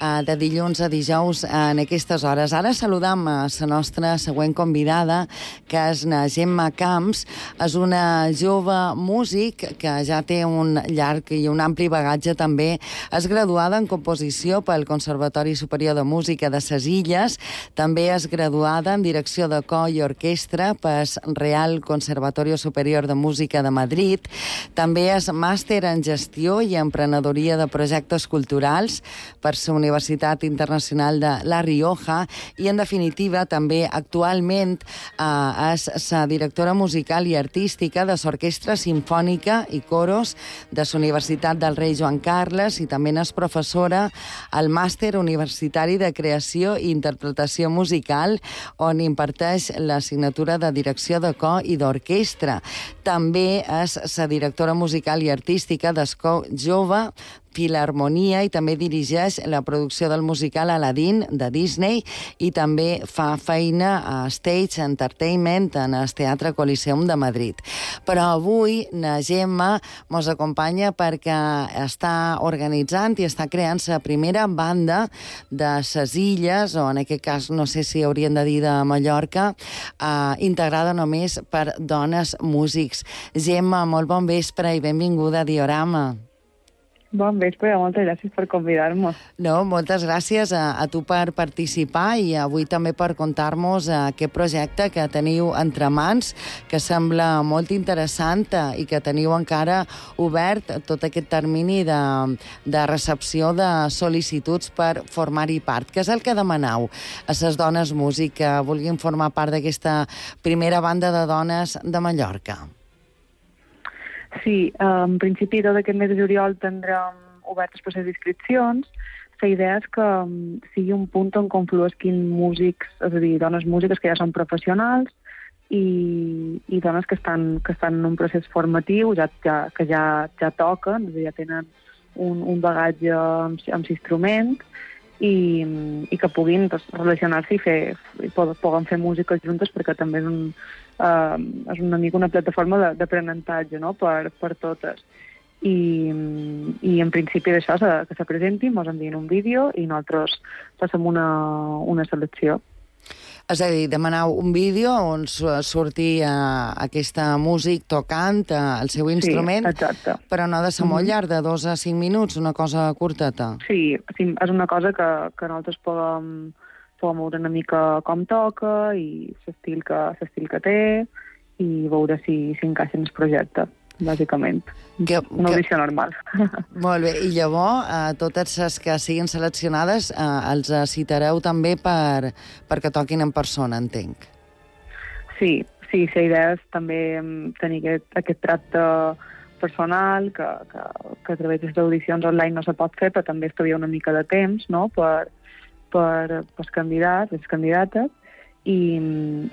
de dilluns a dijous en aquestes hores. Ara saludam a la nostra següent convidada, que és na Gemma Camps. És una jove músic que ja té un llarg i un ampli bagatge també. És graduada en composició pel Conservatori Superior de Música de ses Illes. També és graduada en direcció de cor i orquestra pel Real Conservatorio Superior de Música de Madrid. També és màster en gestió i emprenedoria de projectes culturals per la Universitat Internacional de La Rioja i, en definitiva, també actualment eh, és la directora musical i artística de l'Orquestra Simfònica i Coros de la Universitat del Rei Joan Carles i també és professora al Màster Universitari de Creació i Interpretació Musical, on imparteix l'assignatura de direcció de cor i d'orquestra. També és la directora musical i artística d'Escó Jove, Filharmonia, i també dirigeix la producció del musical Aladdin de Disney i també fa feina a Stage Entertainment en el Teatre Coliseum de Madrid. Però avui na Gemma mos acompanya perquè està organitzant i està creant la primera banda de ses Illes, o en aquest cas no sé si haurien de dir de Mallorca, eh, integrada només per dones músics. Gemma, molt bon vespre i benvinguda a Diorama. Bon vespre, moltes gràcies per convidar-nos. No, moltes gràcies a, a tu per participar i avui també per contar-nos aquest projecte que teniu entre mans, que sembla molt interessant i que teniu encara obert tot aquest termini de, de recepció de sol·licituds per formar-hi part. Què és el que demaneu a les dones músic que vulguin formar part d'aquesta primera banda de dones de Mallorca? Sí, en principi tot aquest mes de juliol tindrem obert el procés d'inscripcions. La idea és que sigui un punt on confluesquin músics, és a dir, dones músiques que ja són professionals i, i dones que estan, que estan en un procés formatiu, ja, ja, que ja, ja toquen, és a dir, ja tenen un, un bagatge amb, amb l'instrument i, i que puguin doncs, relacionar-se i, fer, i poden fer música juntes, perquè també és un Uh, és una mica una plataforma d'aprenentatge, no?, per, per totes. I, i en principi d'això, que se presentin, ens envien un vídeo i nosaltres passem una, una selecció. És a dir, demaneu un vídeo on surti uh, aquesta músic tocant uh, el seu instrument, sí, exacte. Però no ha de ser molt llarg, de dos a cinc minuts, una cosa curteta. Sí, sí, és una cosa que, que nosaltres podem... podem veure una mica com toca i l'estil que, l'estil que té i veure si, si encaixa en el projecte. bàsicament. Que, Una audició que... normal. Molt bé, i llavors, eh, totes les que siguin seleccionades eh, els citareu també per, perquè toquin en persona, entenc. Sí, sí, la idea és també tenir aquest, aquest tracte personal, que, que, que a través d'audicions online no se pot fer, però també estalvia una mica de temps, no?, per, per, per els candidats, les candidates, i,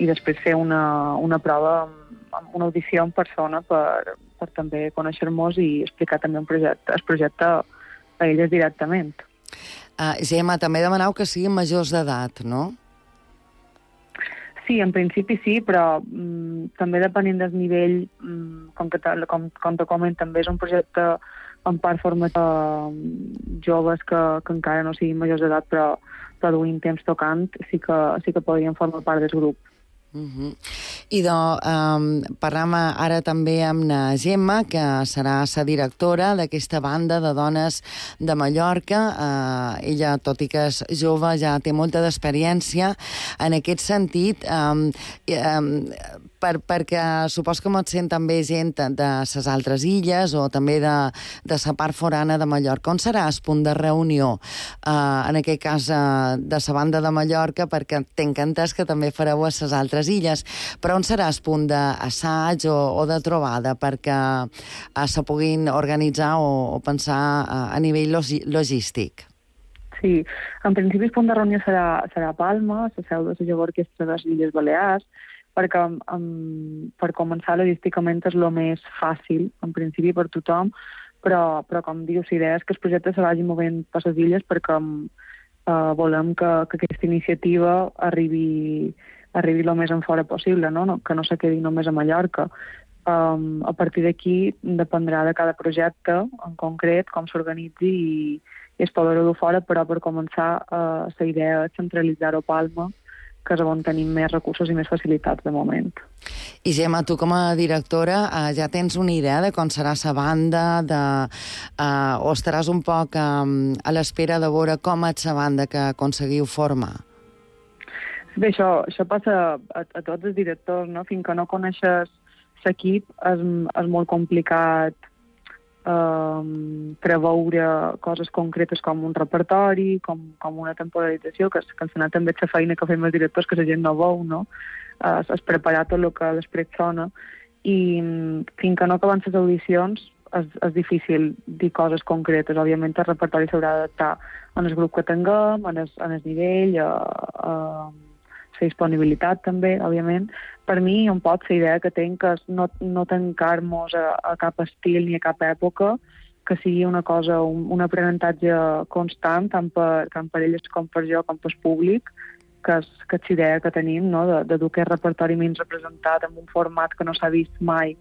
i després fer una, una prova, una audició en persona per, per també conèixer-nos i explicar també un projecte, el projecte a elles directament. Uh, Gemma, també demaneu que siguin majors d'edat, no? Sí, en principi sí, però mm, també depenent del nivell, mm, com, que, com, com te comento, també és un projecte en part format uh, joves que, que encara no siguin majors d'edat, però, però duint temps tocant, sí que, sí que podrien formar part del grup. Uh-huh. I de, um, parlam ara també amb la Gemma, que serà la directora d'aquesta banda de dones de Mallorca. Uh, ella, tot i que és jove, ja té molta d'experiència en aquest sentit. Um, um, per, perquè supos que mos sent també gent de les altres illes o també de, de la part forana de Mallorca. On serà el punt de reunió? Uh, en aquest cas uh, de la banda de Mallorca, perquè tinc entès que també fareu a les altres illes, però on serà el punt d'assaig o, o de trobada perquè uh, se puguin organitzar o, o pensar uh, a nivell logístic? Sí, en principi el punt de reunió serà, serà Palma, la seu de la jove orquestra de les Illes Balears, perquè um, per començar logísticament és el més fàcil, en principi, per tothom, però, però com dius, la idea és que el projecte se vagi movent per les illes perquè uh, volem que, que aquesta iniciativa arribi, arribi el més en fora possible, no? No, que no se quedi només a Mallorca. Um, a partir d'aquí dependrà de cada projecte, en concret, com s'organitzi i, i es podrà dur fora, però per començar uh, la idea és centralitzar-ho a Palma, que és on tenim més recursos i més facilitats de moment. I Gemma, tu com a directora eh, ja tens una idea de com serà la banda, de, eh, o estaràs un poc eh, a l'espera de veure com és la banda que aconseguiu formar? Bé, això, això passa a, a tots els directors, no? Fins que no coneixes l'equip és, és molt complicat Um, preveure coses concretes com un repertori, com, com una temporalització, que, que al final també és la feina que fem els directors, que la gent no veu, no? Uh, és preparar tot el que després sona, i um, fins que no acaben les audicions és, és difícil dir coses concretes. Òbviament el repertori s'haurà d'adaptar en el grup que tinguem, en el, en el nivell, a, a la disponibilitat també, òbviament. Per mi, un pot la idea que tinc és no, no tancar-nos a, a cap estil ni a cap època, que sigui una cosa, un, un aprenentatge constant, tant per, tant per elles com per jo, com per el públic, que és, que és la idea que tenim, no? de, de dur aquest repertori menys representat en un format que no s'ha vist mai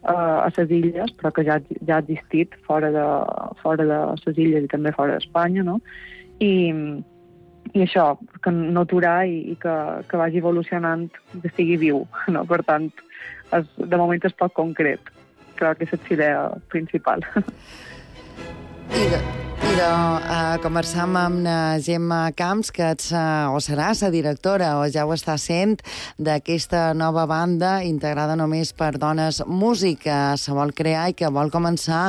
uh, a les illes, però que ja, ja ha existit fora de, fora de les illes i també fora d'Espanya, no? I... I això, que no aturar i, i que, que vagi evolucionant, que estigui viu, no? Per tant, és, de moment és poc concret. Crec que és la idea principal. I de, i de uh, conversar amb la Gemma Camps, que ets, uh, o seràs la directora, o ja ho està sent, d'aquesta nova banda integrada només per dones músic que se vol crear i que vol començar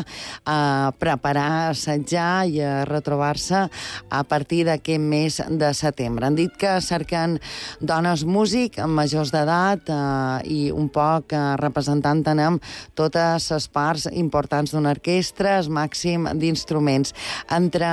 a preparar, a assajar i a retrobar-se a partir d'aquest mes de setembre. Han dit que cerquen dones músic majors d'edat uh, i un poc uh, representant amb totes les parts importants d'una orquestra, el màxim d'instruments. Entre,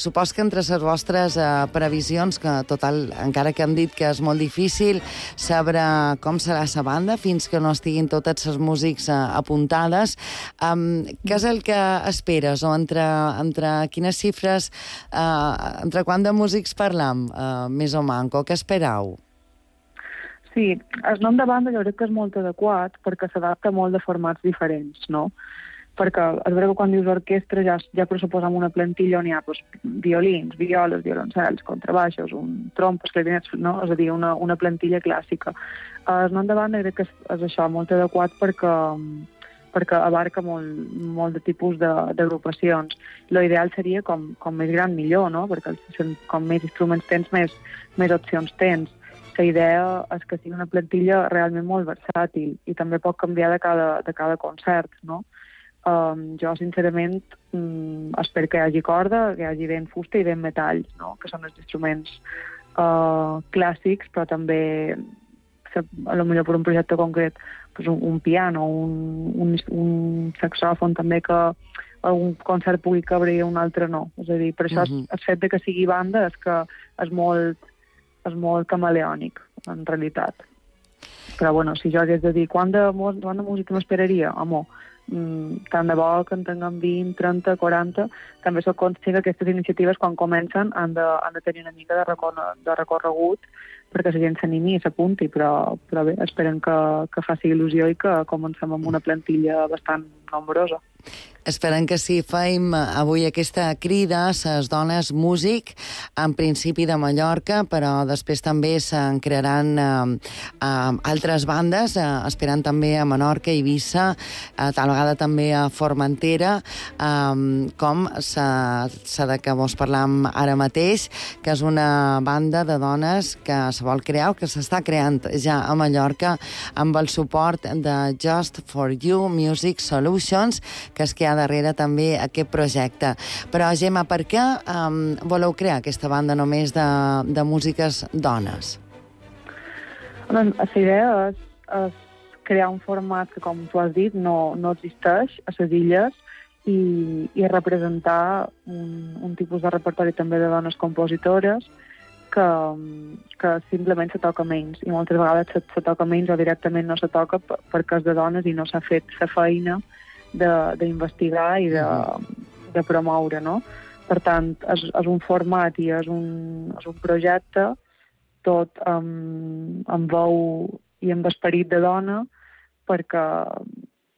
supos que entre les vostres eh, previsions, que total, encara que hem dit que és molt difícil saber com serà la banda fins que no estiguin totes les músics eh, apuntades, um, què és el que esperes? O entre, entre quines xifres, eh, entre quant de músics parlam, eh, més o manco? Què esperau? Sí, el nom de banda jo crec que és molt adequat perquè s'adapta molt de formats diferents, no? Perquè és veritat que quan dius orquestra ja, ja pressuposem una plantilla on hi ha doncs, violins, violes, violoncels, contrabaixos, un trompes, clarinets, no? És a dir, una, una plantilla clàssica. El nom de banda crec que és, és això, molt adequat perquè, perquè abarca molt, molt de tipus d'agrupacions. L'ideal seria com, com més gran millor, no? Perquè com més instruments tens, més, més opcions tens. la idea és que sigui una plantilla realment molt versàtil i també pot canviar de cada, de cada concert, no? Um, jo, sincerament, um, espero que hi hagi corda, que hi hagi ben fusta i ben metalls, no? Que són els instruments uh, clàssics, però també, a lo millor per un projecte concret, pues un, un piano, un, un, un saxòfon també que algun concert pugui cabre i un altre no. És a dir, per això uh-huh. el fet de que sigui banda és que és molt, és molt camaleònic, en realitat. Però, bueno, si jo hagués de dir quant de, quant de música m'esperaria, home, mm, tant de bo que en tinguem vint, trenta, quaranta, també soc conscient que aquestes iniciatives, quan comencen, han de, han de tenir una mica de, recorre, de recorregut perquè la gent s'animi i s'apunti, però, però bé, esperem que, que faci il·lusió i que comencem amb una plantilla bastant nombrosa. Esperem que sí. Fem avui aquesta crida a les dones músic, en principi de Mallorca, però després també se'n crearan eh, eh, altres bandes, eh, esperant també a Menorca, Eivissa, eh, tal vegada també a Formentera, eh, com la de que vos parlam ara mateix, que és una banda de dones que se vol crear, que s'està creant ja a Mallorca, amb el suport de Just for You Music Solutions, que és que hi ha darrere també aquest projecte. Però, Gemma, per què um, voleu crear aquesta banda només de, de músiques dones? Doncs, la idea és, és crear un format que, com tu has dit, no, no existeix a les illes i, i representar un, un tipus de repertori també de dones compositores que, que simplement se toca menys. I moltes vegades se, se toca menys o directament no se toca perquè és de dones i no s'ha fet la feina d'investigar i de, de promoure, no? Per tant, és, és un format i és un, és un projecte tot amb, amb veu i amb esperit de dona perquè,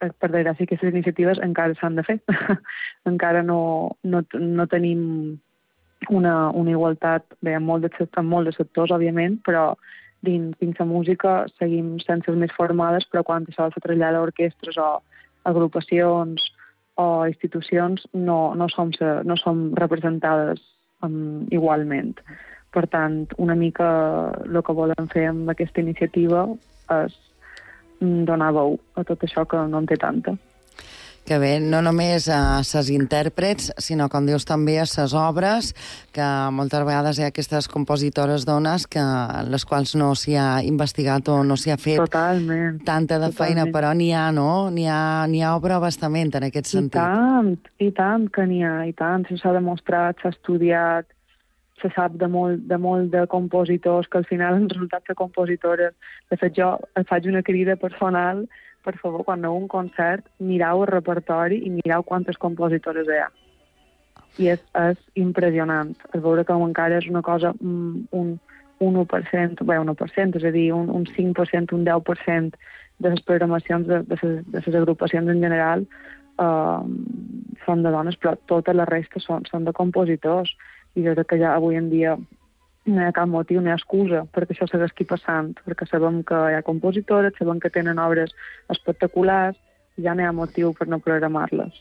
per desgràcia, aquestes iniciatives encara s'han de fer. encara no, no, no tenim una, una igualtat, bé, en molt, de, en molt de sectors, òbviament, però dins, dins la música seguim sense més formades, però quan això se trasllada a orquestres o agrupacions o institucions no, no, som, no som representades um, igualment. Per tant, una mica el que volem fer amb aquesta iniciativa és donar veu a tot això que no en té tanta. Que bé, no només a ses intèrprets, sinó, com dius, també a ses obres, que moltes vegades hi ha aquestes compositores dones que les quals no s'hi ha investigat o no s'hi ha fet totalment, tanta de totalment. feina, però n'hi ha, no? N'hi ha, n'hi ha obra bastament en aquest sentit. I tant, i tant que n'hi ha, i tant. S'ha demostrat, s'ha estudiat, se sap de molt, de molt de compositors que al final han resultat ser compositores. De fet, jo faig una crida personal, per favor, quan aneu a un concert, mireu el repertori i mireu quantes compositores hi ha. I és, és impressionant. Es veure que encara és una cosa, un, un u per cent, bé, un u per cent, és a dir, un, un cinc per cent, un deu per cent de les programacions de, de, les, de les agrupacions en general eh, són de dones, però tota la resta són, són de compositors. I jo crec que ja avui en dia no hi ha cap motiu, no hi ha excusa perquè això segueixi passant, perquè sabem que hi ha compositores, sabem que tenen obres espectaculars, i ja no hi ha motiu per no programar-les.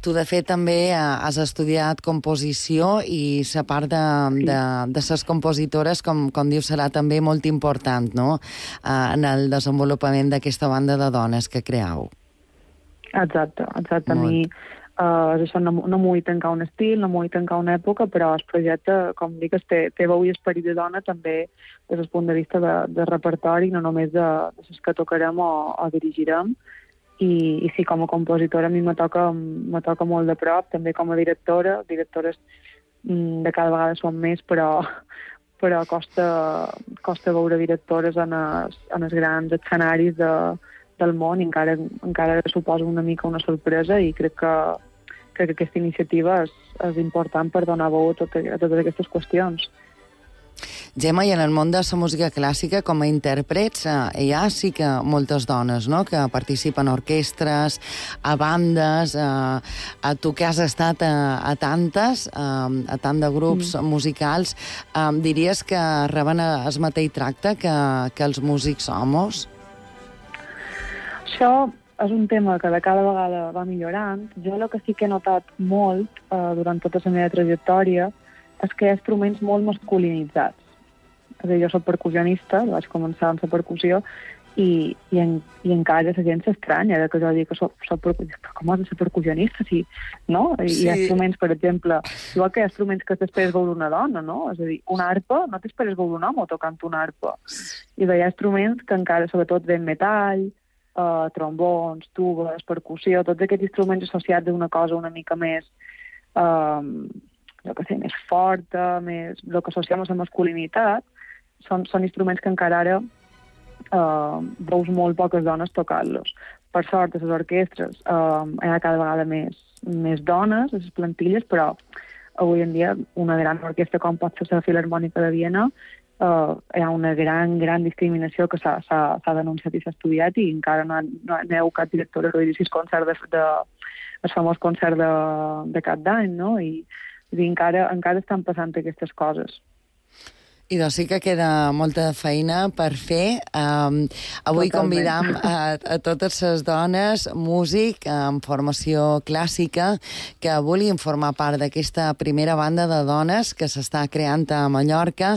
Tu, de fet, també has estudiat composició i la part de, sí. de, de ses compositores, com, com dius, serà també molt important, no?, en el desenvolupament d'aquesta banda de dones que creeu. Exacte, exacte. A mi Uh, això no, no m'ho vull tancar un estil, no m'ho vull tancar una època, però el projecte, com dic, té, té veu i esperit de dona també des del punt de vista de, de repertori, no només de, de les que tocarem o, o dirigirem. I, I sí, com a compositora a mi me toca, me toca molt de prop, també com a directora. Directores mm, de cada vegada són més, però, però costa, costa veure directores en els, en els grans escenaris de, del món i encara, encara suposa una mica una sorpresa i crec que crec que aquesta iniciativa és, és important per donar veu a, tot, a totes aquestes qüestions. Gemma, i en el món de la música clàssica, com a intèrprets, eh, hi ha sí que moltes dones, no?, que participen a orquestres, a bandes, eh, a tu que has estat a, a tantes, eh, a tant de grups mm. musicals, eh, diries que reben el mateix tracte que, que els músics homes? Això és un tema que de cada vegada va millorant. Jo el que sí que he notat molt eh, durant tota la meva trajectòria és que hi ha instruments molt masculinitzats. És a dir, jo soc percussionista, vaig començar amb la percussió, i, i, en, i encara la gent s'estranya de que jo dic que soc, soc percussionista. Però com has de ser percussionista? Sí, no? I sí. Hi ha instruments, per exemple, igual que hi ha instruments que t'esperes veure una dona, no? És a dir, una arpa, no t'esperes veure un home tocant una arpa. I hi ha instruments que encara, sobretot, ven metall, eh, trombons, tubes, percussió, tots aquests instruments associats a una cosa una mica més, eh, jo què sé, més forta, més, el que associem a la masculinitat, són, són instruments que encara ara Uh, veus molt poques dones tocant-los. Per sort, a les orquestres uh, hi ha cada vegada més, més dones a les plantilles, però avui en dia una gran orquestra com pot ser la Filarmònica de Viena uh, hi ha una gran, gran discriminació que s'ha denunciat i s'ha estudiat i encara no, no, no hi ha cap director de redir sis concert de, de, el famós concert de, de cap d'any, no? I, i encara, encara estan passant aquestes coses. I doncs sí que queda molta feina per fer. Um, avui Totalment. Convidam a, a totes les dones, músic amb formació clàssica, que vulguin formar part d'aquesta primera banda de dones que s'està creant a Mallorca.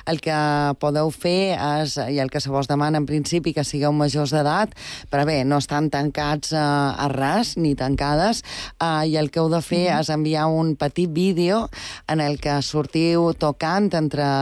El que podeu fer és, i el que se vos demana en principi, que sigueu majors d'edat, però bé, no estan tancats a, a res, ni tancades, uh, i el que heu de fer mm. és enviar un petit vídeo en el que sortiu tocant entre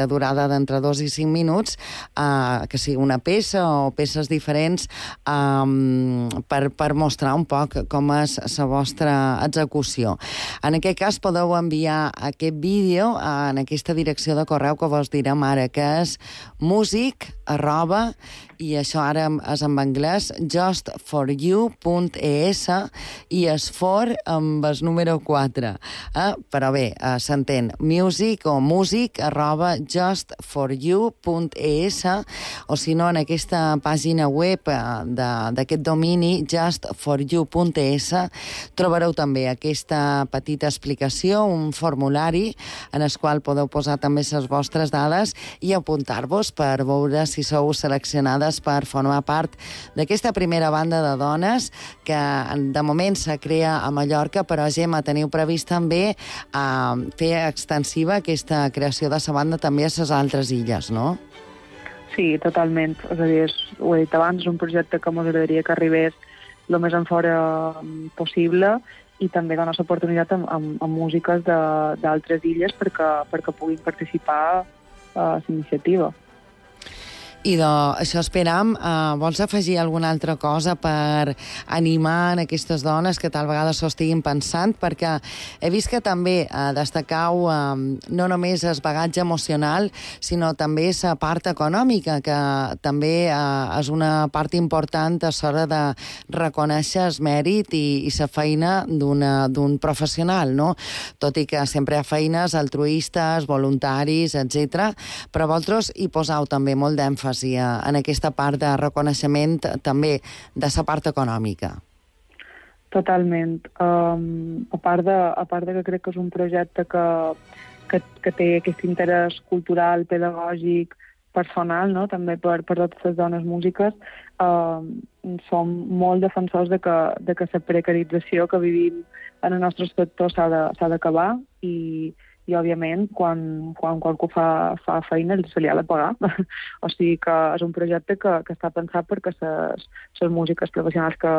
de durada d'entre dos i cinc minuts, eh, que sigui una peça o peces diferents, eh, per, per mostrar un poc com és la vostra execució. En aquest cas podeu enviar aquest vídeo en aquesta direcció de correu que vos direm ara, que és músic arroba, i això ara és en anglès, just for you punt e essa, i és for amb el número quatre. Eh? Però bé, eh, s'entén, music o músic arroba just for you punt e essa, o si no, en aquesta pàgina web d'aquest domini, just for you punt e essa, trobareu també aquesta petita explicació, un formulari en el qual podeu posar també les vostres dades i apuntar-vos per veure si sou seleccionades per formar part d'aquesta primera banda de dones que de moment se crea a Mallorca, però Gemma, teniu previst també uh, fer extensiva aquesta creació de la banda també a les altres illes, no? Sí, totalment. És a dir, és, ho he dit abans, és un projecte que m'agradaria que arribés el més en fora possible i també donar l'oportunitat amb, amb, amb músiques d'altres illes perquè, perquè puguin participar a l'iniciativa. I de, això esperam. Uh, vols afegir alguna altra cosa per animar en aquestes dones que tal vegada s'ho estiguin pensant? Perquè he vist que també uh, destacau uh, no només el bagatge emocional, sinó també la part econòmica, que també uh, és una part important a l'hora de reconèixer el mèrit i, i la feina d'un professional, no? Tot i que sempre hi ha feines altruistes, voluntaris, etcètera, però vosaltres hi posau també molt d'èmfasi en aquesta part de reconeixement també de la part econòmica. Totalment. Um, a, part de, a part de que crec que és un projecte que, que, que té aquest interès cultural, pedagògic, personal, no? També per, per totes les dones músiques, um, som molt defensors de que, de que la precarització que vivim en el nostre sector s'ha d'acabar i i, òbviament, quan, quan qualcú fa, fa feina se li ha de pagar. O sigui que és un projecte que, que està pensat perquè les músiques professionals que,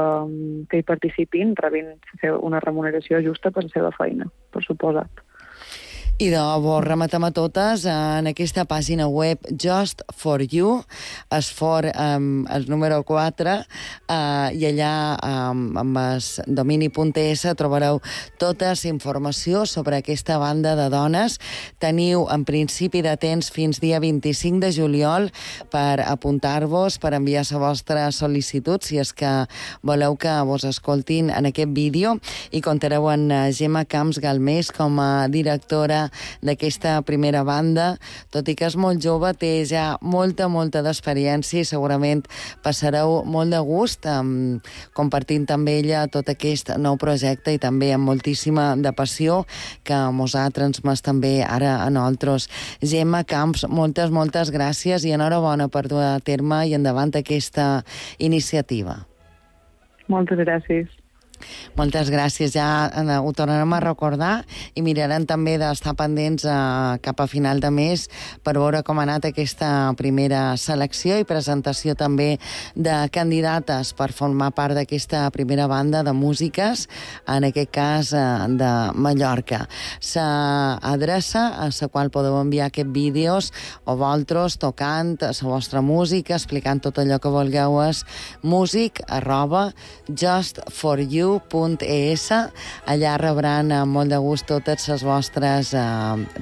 que hi participin rebin una remuneració justa per la seva feina, per suposat. I de vos rematem a totes en aquesta pàgina web Just for You, es for um, el número quatre, uh, i allà um, amb el domini punt es trobareu tota la informació sobre aquesta banda de dones. Teniu en principi de temps fins dia vint-i-cinc de juliol per apuntar-vos, per enviar la vostra sol·licitud, si és que voleu que vos escoltin en aquest vídeo, i comptareu amb Gemma Camps Galmés com a directora d'aquesta primera banda. Tot i que és molt jove, té ja molta, molta d'experiència i segurament passareu molt de gust um, compartint també ella tot aquest nou projecte i també amb moltíssima de passió que mos ha transmès també ara a nosaltres. Gemma Camps, moltes, moltes gràcies i enhorabona per dur a terme i endavant aquesta iniciativa. Moltes gràcies. Moltes gràcies, ja eh, ho tornarem a recordar i mirarem també d'estar pendents eh, cap a final de mes per veure com ha anat aquesta primera selecció i presentació també de candidates per formar part d'aquesta primera banda de músiques, en aquest cas eh, de Mallorca. S'adreça a la qual podeu enviar aquests vídeos o vosaltres tocant la vostra música, explicant tot allò que vulgueu, és music arroba justforyou punt es. Allà rebran amb molt de gust totes les vostres eh,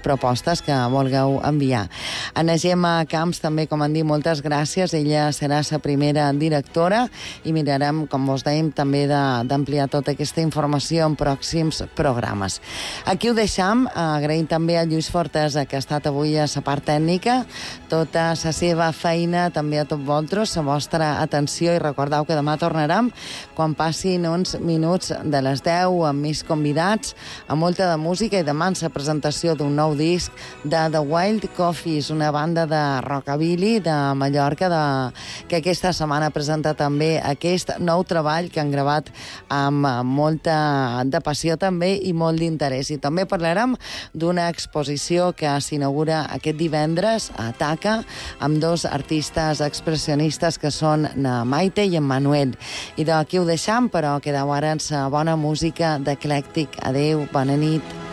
propostes que vulgueu enviar. A la Gemma Camps també, com han dit, moltes gràcies. Ella serà la primera directora i mirarem, com vos dèiem, també d'ampliar tota aquesta informació en pròxims programes. Aquí ho deixam, agraïm també a Lluís Fortesa, que ha estat avui a la part tècnica, tota la seva feina, també a tots vosaltres, la vostra atenció, i recordeu que demà tornarem quan passin uns minuts de les deu amb més convidats, amb molta de música, i demà la presentació d'un nou disc de The Wild Coffees, una banda de rockabilly de Mallorca de, que aquesta setmana presenta també aquest nou treball que han gravat amb molta de passió també i molt d'interès. I també parlarem d'una exposició que s'inaugura aquest divendres a Taca amb dos artistes expressionistes que són na Maite i en Manuel. I d'aquí ho deixam, però quedeu ara en sa bona música d'Eclèctic. Adéu, bona nit.